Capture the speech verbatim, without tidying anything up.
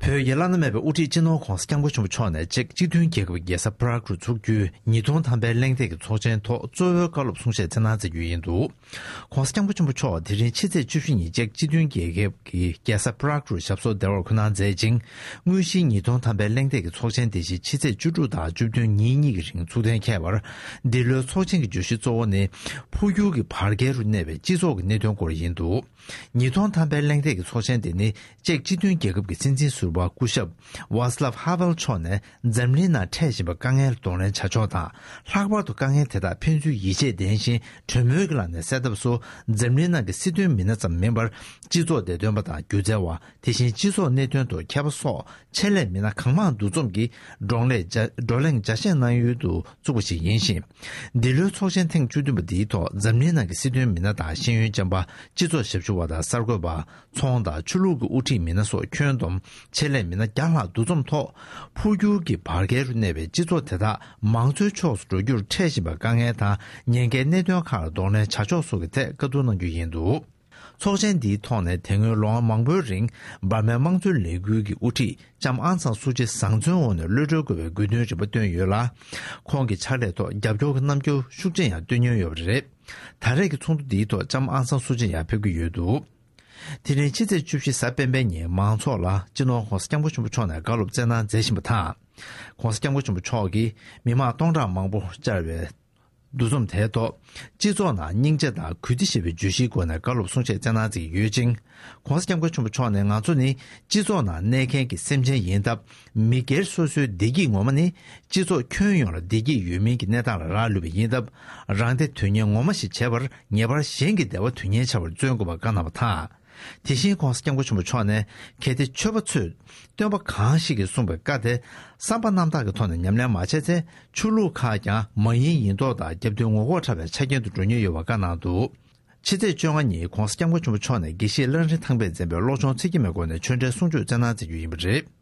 བོད་ཀྱི་བླ་ན་མེད་པའི་དབུ་ཁྲིད་སྤྱི་ནོར་༧གོང་ས་༧སྐྱབས་མགོན་ཆེན་པོ་མཆོག་ནས་ཅེཀ་སྤྱི་མཐུན་རྒྱལ་ཁབ་ཀྱི་རྒྱལ་ས་པ་རག་རུ་འཚོགས་རྒྱུའི་ཉིས་སྟོང་ཐམ་པའི་གླེང་སྟེགས་ཀྱི་ཚོགས་ཆེན་ཐོག་གཙོ་བོའི་བཀའ་སློབ་གསུང་བཤད་སྩལ་གནང་མཛད་རྒྱུ་ཡིན་འདུག ༧གོང་ས་༧སྐྱབས་མགོན་ཆེན་པོ་མཆོག་དེ་རིང་ཕྱི་ཚེས་བཅུ་བཞི་ཉིན་ཅེཀ་སྤྱི་མཐུན་རྒྱལ་ཁབ་ཀྱི་རྒྱལ་ས་པ་རག་རུ་ཞབས་སོར་བདེ་བར་འཁོད་གནང་མཛད་ཅིང་། དངོས་གཞིའི་ཉིས་སྟོང་ཐམ་པའི་གླེང་སྟེགས་ཀྱི་ཚོགས་ཆེན་དེ་བཞིན་ཕྱི་ཚེས་བཅུ་དྲུག་དང་བཅུ་བདུན་ཉིན་གཉིས་ཀྱི་རིང་ཚུགས་གཏན་འཁེལ་བར། འདི་ལོའི་ཚོགས་ཆེན་གྱི་བརྗོད་གཞི་གཙོ་བོ་ནི། འཕོ་འགྱུར་གྱི་བར་བརྒལ་རུ་གནས་པའི་སྤྱི་ཚོགས་ཀྱི་གནད་དོན་སྐོར་ཡིན་འདུག་ཉིས་སྟོང་ཐམ་པའི་གླེང་སྟེགས་ཀྱི་ཚོགས་ཆེན་དེ་ནི་ཅེཀ་སྤྱི་མཐུན་རྒྱལ་ཁབ་ཀྱི་སྲིད་འཛིན་ཟུར་པ་སྐུ་ཞབས་ཝཱ་སི་ལབ་ཧ་ཝེལ་མཆོག་ནས་འཛམ་གླིང་ནང་འཕྲད་བཞིན་པའི་དཀའ་ངལ་གདོང་ལེན་བྱ་ཕྱོགས་དང་། ལྷག་པར་དུ་དཀའ་ངལ་དེ་དག་ཕན་ཚུན་ཡིད་ཆེས་ལྡན་ཞིང་གྲོས་མོལ་གྱི་ལམ་ནས་སེལ་ཐབས་སུ། འཛམ་གླིང་ནང་གི་སྲིད་དོན་མི་སྣ་ཙམ་མིན་པར། སྤྱི་ཚོགས་བདེ་དོན་པ་དང་སྒྱུ་རྩལ་བ། དེ་བཞིན་སྤྱི་ཚོགས་གནད་དོན་དུ་མཁས་པ་སོགས་ཆེད་ལས་མི་སྣ་གང་མང་འདུ་འཛོམས་ཀྱིས་བགྲོ་གླེང་བརྒྱ་བགྲོ་གླེང་བརྒྱ་ཆད་གནང་ཡུལ་དུ་བཙུགས་པ་ཞིག་ཡིན་ཞིང་། འདི་ལོའི་ཚོགས་ཆེན་ཐེངས་བཅུ་བདུན་པ་འདིའི་ཐོག་འཛམ་གླིང་ནང་གི་སྲིད་དོན་མི་སྣ་དང་ཤེས་ཡོན་ཅན་པ། སྤྱི་ཚོགས་ཞབས་ཞུ་བ་དང་གསར་འགོད་པ། ཚོང་དང་ཆོས་ལུགས་ཀྱི་དབུ་ཁྲིད་མི་སྣ་སོགས་ཁྱོན་བསྡོམས་ཆེད་ལས་མི་སྣ་བརྒྱ་ལྷག་འདུ་འཛོམས་ཐོག་འཕོ་འགྱུར་གྱི་བར་བརྒལ་རུ་གནས་པའི་སྤྱི་ཚོགས་དེ་དག་མང་གཙོའི་ཕྱོགས་སུ་འགྲོ་རྒྱུར་འཕྲད་བཞིན་པའི་དཀའ་ངལ་དང་ཉེན་ཁའི་གནད་དོན་ཁག་ལ་གདོང་ལེན་བྱ་ཕྱོགས་སོགས་ཀྱི་ཐད་བཀའ་བསྡུར་གནང་རྒྱུ་ཡིན་འདུག་ཚོགས་ཆེན་འདིའི་ཐོག་ནས་དེ་སྔོན་ལོ་ངོ་མང་པོའི་རིང་འབར་མའི་དམངས་གཙོའི་ལས་འགུལ་གྱི་དབུ་ཁྲིད་ལྕམ་ཨང་སང་སུའུ་ཅི་བཟང་བཙོན་འོག་ནས་གློད་གྲོལ་དགོས་པའི་དགོས་འདུན་རིམ་པ་བཏོན་ཡོད་ལ། ཁོང་གི་ཕྱག་ལས་ཐོག་རྒྱབ་སྐྱོར་གྱི་རྣམ་འགྱུར་ཤུགས་ཆེན་ཡང་སྟོན་མྱོང་ཡོད་པ་རེད། ད་རེས་ཀྱི་ཚོགས་འདུ་འདིའི་ཐོག་ལྕམ་ཨང་སང་སུའུ་ཅི་ཡང་ཕེབས་ཀྱི་ཡོད་འདུག་དེ་རིང་ཕྱི་ཚེས་བཅུ་བཞི་གཟའ་སྤེན་པའི་ཉིན་མང་ཚོགས་ལ་སྤྱི་ནོར་༧གོང་ས་༧སྐྱབས་མགོན་ཆེན་པོ་མཆོག་ནས་བཀའ་སློབ་སྩལ་གནང་མཛད་བཞིན་པ་དང་། ༧གོང་ས་༧སྐྱབས་མགོན་ཆེན་པོ་མཆོག་གིས་མི་མང་སྟོང་ཕྲག་མང་པོ་བཅར་བའི་འདུ་འཛོམས་དེའི་ཐོག་སྤྱི་ཚོགས་ནང་སྙིང་རྗེ་དང་གུས་བརྩི་ཞེས་པའི་བརྗོད་གཞིའི་སྒོ་ནས་བཀའ་སློབ་གསུང་བཤད་སྩལ་གནང་མཛད་ཀྱི་ཡོད་ཅིང་། ༧གོང་ས་༧སྐྱབས་མགོན་ཆེན་པོ་མཆོག་ནས་ང་ཚོ་ནི་སྤྱི་ཚོགས་ནང་གནས་མཁན་གྱི་སེམས་ཅན་ཡིན་སྟབས། མི་སྒེར་སོ་སོའི་བདེ་སྐྱིད་ངོ་མ་ནི་སྤྱི་ཚོགས་ཁྱོན་ཡོངས་ལ་བདེ་སྐྱིད་ཡོད་མིན་གྱི་གནས་སྟངས་ལ་རག་ལུས་པ་ཡིན་སྟབས། རང་བདེ་དོན་གཉེར་ངོ་མ་ཞིག་བྱས་པར་ངེས་པར་གཞན་གྱི་བདེ་བ་དོན་གཉེར་བྱ་བར་བརྩོན་དགོས་པ་བཀའ་གནང་བ་དང་། དེ་བཞིན་༧གོང་ས་༧སྐྱབས་མགོན་ཆེན་པོ་མཆོག་ནས་གལ་ཏེ་ཆོས་པ་ཚོས་སྟོན་པ་གང་ཞིག་གིས་གསུངས་པའི་བཀའ་དེ་བསམ་པ་རྣམ་དག་གི་ཐོག་ནས་ཉམས་ལེན་མ་བྱས་ཚེ། ཆོས་ལུགས་ཁག་ཀྱང་མ་ཡིན་ཡིན་མདོག་དང་རྒྱབ་མདུན་ངོ་ལྐོག་འཁྲབ་པའི་ཆ་རྐྱེན་དུ་འགྲོ་ཉེན་ཡོད་པ་བཀའ་གནང་འདུག་ཕྱི་ཚེས་བཅོ་ལྔ་ཉིན་༧གོང་ས་༧སྐྱབས་མགོན་ཆེན་པོ་མཆོག་ནས་དགེ་བཤེས་གླང་རི་ཐང་པས་མཛད་པའི་བློ་སྦྱོང་ཚིག་བརྒྱད་མའི་སྒོ་ནས་ཆོས་འབྲེལ་གསུང་ཆོས་སྩལ་གནང་མཛད་རྒྱུ་ཡིན་པ་རེད།